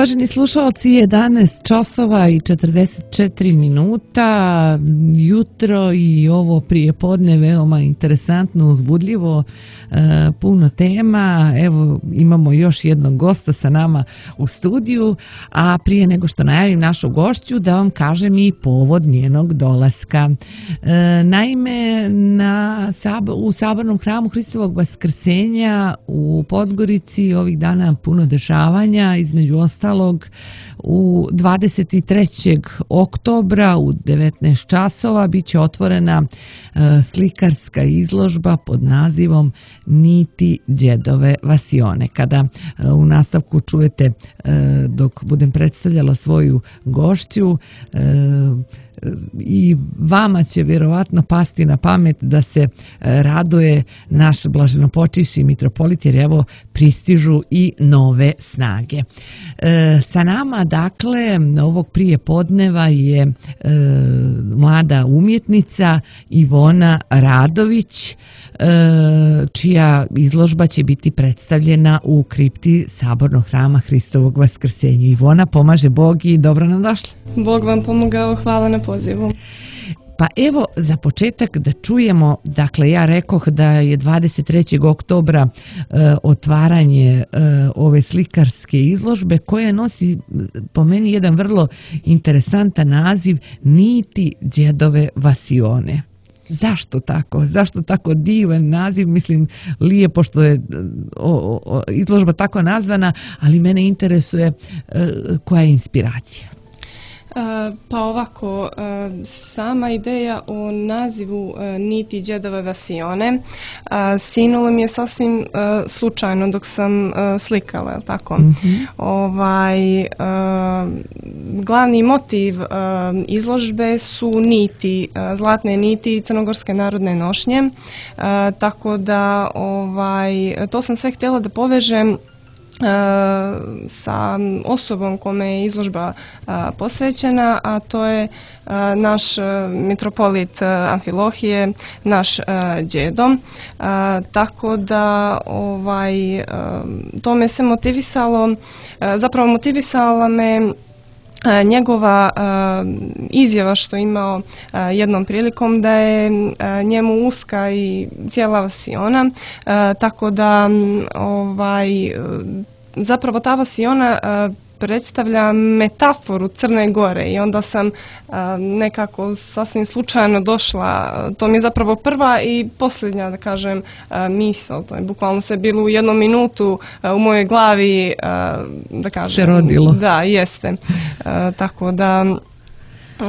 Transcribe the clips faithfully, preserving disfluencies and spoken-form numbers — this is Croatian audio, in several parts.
Uvaženi slušalci, jedanaest časova i četrdeset četiri minuta, jutro i ovo prijepodne veoma interesantno, uzbudljivo, e, puno tema. Evo, imamo još jednog gosta sa nama u studiju, a prije nego što najavim našu gošću, da vam kažem i povod njenog dolaska. E, naime, na, u Sabornom hramu Hristovog Vaskrsenja u Podgorici ovih dana puno dešavanja, između ostalog u dvadeset trećeg oktobra u devetnaest časova biće otvorena e, slikarska izložba pod nazivom Niti đedove vasione. Kada e, u nastavku čujete e, dok budem predstavljala svoju gošću, e, i vama će vjerovatno pasti na pamet da se raduje naš blaženopočivši mitropolit, jer evo pristižu i nove snage. E, sa nama, dakle, ovog prije podneva je e, mlada umjetnica Ivona Radović, e, čija izložba će biti predstavljena u kripti Sabornog hrama Hristovog Vaskrsenja. Ivona, pomaže Bog i dobro nam došla. Bog vam pomogao, hvala na pozivu. Pa evo, za početak da čujemo, dakle ja rekoh da je dvadeset trećeg oktobra e, otvaranje e, ove slikarske izložbe koja nosi po meni jedan vrlo interesantan naziv Niti đedove vasione. Zašto tako? Zašto tako divan naziv? Mislim, lijepo što je o, o, izložba tako nazvana, ali mene interesuje e, koja je inspiracija. Pa ovako, sama ideja o nazivu Niti đedove vasione sinula mi je sasvim slučajno dok sam slikala, tako? Mm-hmm. Ovaj, glavni motiv izložbe su niti, zlatne niti crnogorske narodne nošnje, tako da ovaj, to sam sve htjela da povežem sa osobom kome je izložba posvećena, a to je naš mitropolit Amfilohije, naš đedo. Tako da ovaj, to me se motivisalo, zapravo motivisala me njegova uh, izjava što je imao uh, jednom prilikom da je uh, njemu uska i cijela vasiona, uh, tako da um, ovaj, uh, zapravo ta vasiona uh, predstavlja metaforu Crne Gore i onda sam uh, nekako sasvim slučajno došla, to mi je zapravo prva i posljednja, da kažem, uh, misao, to je bukvalno se bilo u jednom minutu uh, u mojoj glavi, uh, da kažem. Se rodilo. Da, jeste. Uh, tako da uh,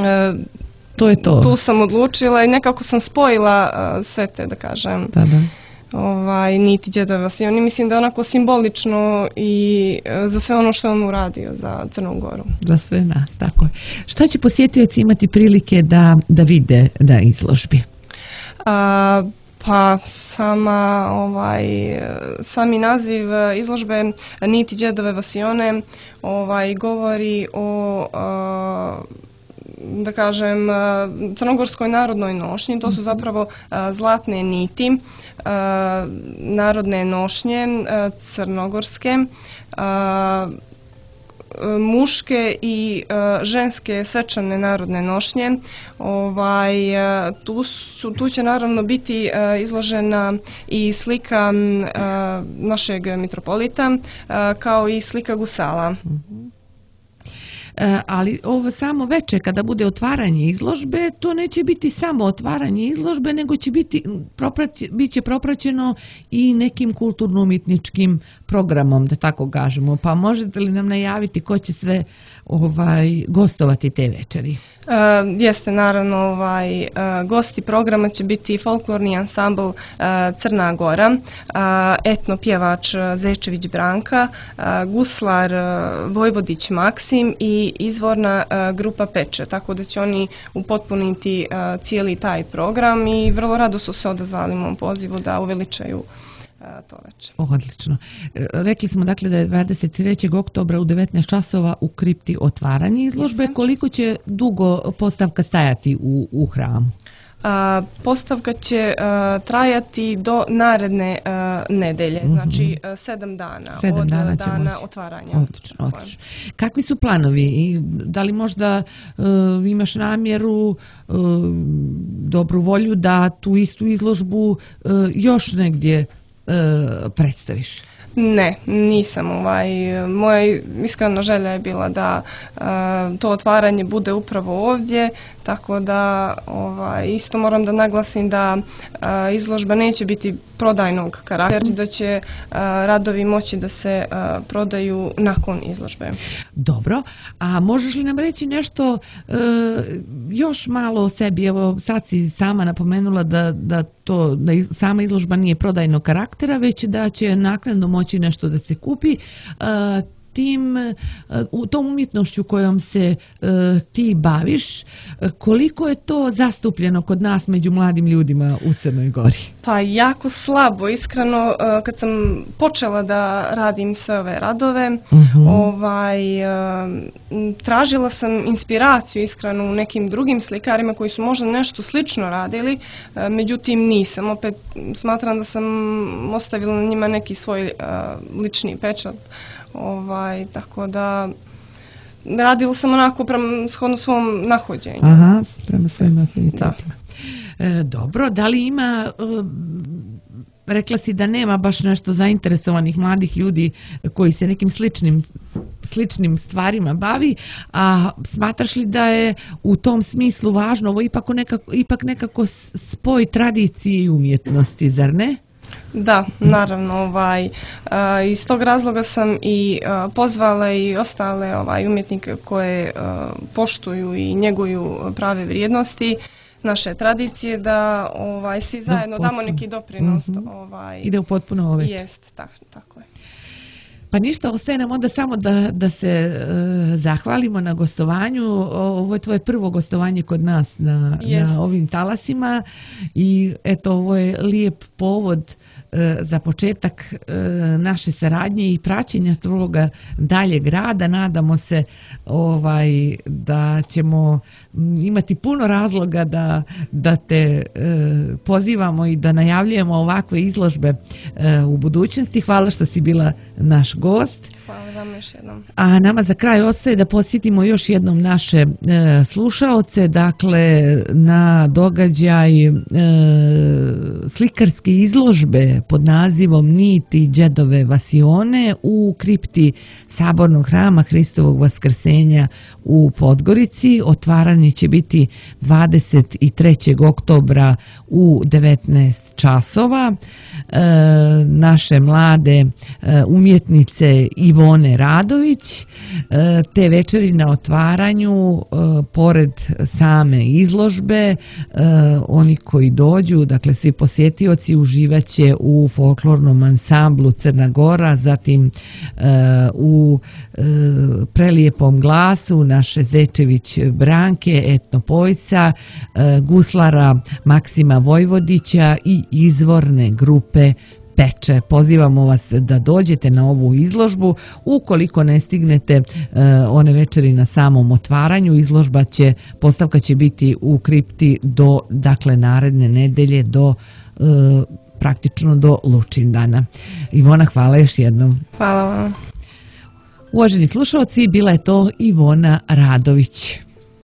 to je to. Tu sam odlučila i nekako sam spojila uh, sve te, da kažem. Da, da. Ovaj, niti đedove vasione. Mislim da je onako simbolično i za sve ono što je on uradio za Crnu Goru. Za sve nas, tako je. Šta će posjetioci imati prilike da, da vide na izložbi? A, pa sama, ovaj, sami naziv izložbe Niti đedove vasione ovaj, govori o a, da kažem, crnogorskoj narodnoj nošnji. To su zapravo zlatne niti, narodne nošnje crnogorske, muške i ženske svečane narodne nošnje. Ovaj, tu, su, tu će naravno biti izložena i slika našeg mitropolita, kao i slika gusala. E, ali ovo samo veče kada bude otvaranje izložbe, to neće biti samo otvaranje izložbe, nego će biti proprać, bit će propraćeno i nekim kulturno-umjetničkim programom, da tako kažemo. Pa možete li nam najaviti ko će sve ovaj, gostovati te večeri? Uh, jeste naravno ovaj, uh, gosti programa će biti folklorni ansambl uh, Crna Gora, uh, etno pjevač Zečević Branka, uh, guslar uh, Vojvodić Maksim i izvorna uh, grupa Peče, tako da će oni upotpuniti uh, cijeli taj program i vrlo rado su se odazvali mom pozivu da uveličaju to večer. Odlično. Rekli smo dakle da je dvadeset trećeg oktobra u devetnaest časova u kripti otvaranje izložbe. Koliko će dugo postavka stajati u, u hramu? Postavka će trajati do naredne nedelje, znači sedam dana sedam od dana, dana otvaranja. Odlično, odlično. Kakvi su planovi? I da li možda uh, imaš namjeru, uh, dobru volju da tu istu izložbu uh, još negdje uh, predstaviš? Ne, nisam. Ovaj, moja iskrena želja je bila da uh, to otvaranje bude upravo ovdje, tako da ovaj, isto moram da naglasim da uh, izložba neće biti prodajnog karaktera, da će uh, radovi moći da se uh, prodaju nakon izložbe. Dobro, a možeš li nam reći nešto uh, još malo o sebi? Evo, sad si sama napomenula da, da, to, da iz, sama izložba nije prodajnog karaktera, već da će naknadno moći nešto da se kupi. Uh, tim, u tom umjetnošću kojom se uh, ti baviš, koliko je to zastupljeno kod nas među mladim ljudima u Crnoj Gori? Pa jako slabo, iskreno, uh, kad sam počela da radim sve ove radove, uh-huh. ovaj, uh, tražila sam inspiraciju iskreno u nekim drugim slikarima koji su možda nešto slično radili, uh, međutim nisam. Opet smatram da sam ostavila na njima neki svoj uh, lični pečat. Ovaj, tako da radila sam onako prema shodno svom nahođenju. Aha, prema svojim afinitetima. E, dobro, da li ima, e, rekla si da nema baš nešto zainteresovanih mladih ljudi koji se nekim sličnim, sličnim stvarima bavi, a smatraš li da je u tom smislu važno ovo ipak nekako, ipak nekako spoj tradicije i umjetnosti, zar ne? Da, naravno, ovaj, uh, iz tog razloga sam i uh, pozvala i ostale ovaj, umjetnike koje uh, poštuju i njeguju prave vrijednosti naše tradicije, da ovaj, svi zajedno damo neki doprinos. Mm-hmm. Ovaj, ide u potpuno ovet. Jest, tak, tako je. Pa ništa, ostaje nam onda samo da, da se uh, zahvalimo na gostovanju. Ovo je tvoje prvo gostovanje kod nas na, na ovim talasima i eto, ovo je lijep povod za početak naše saradnje i praćenja tvoga daljeg rada. Nadamo se ovaj, da ćemo imati puno razloga da, da te e, pozivamo i da najavljujemo ovakve izložbe e, u budućnosti. Hvala što si bila naš gost. Hvala vam još jednom. A nama za kraj ostaje da podsjetimo još jednom naše e, slušaoce, dakle na događaj e, slikarske izložbe pod nazivom Niti Đedove Vasione u kripti Sabornog hrama Hristovog Vaskrsenja u Podgorici. Otvaranje će biti dvadeset trećeg oktobra u devetnaest časova. E, naše mlade e, umjetnice Ivone Radović, e, te večeri na otvaranju, e, pored same izložbe, e, oni koji dođu, dakle svi posjetioci, uživaće u folklornom ansamblu Crna Gora, zatim e, u e, prelijepom glasu naše Zečević Branke, etnopojca, e, guslara Maksima Vojvodića i izvorne grupe Peče. Pozivamo vas da dođete na ovu izložbu. Ukoliko ne stignete uh, one večeri na samom otvaranju, izložba će, postavka će biti u kripti do, dakle, naredne nedelje, do uh, praktično do Lučindana. Ivona, hvala još jednom. Hvala vam. Uvaženi slušalci, bila je to Ivona Radović.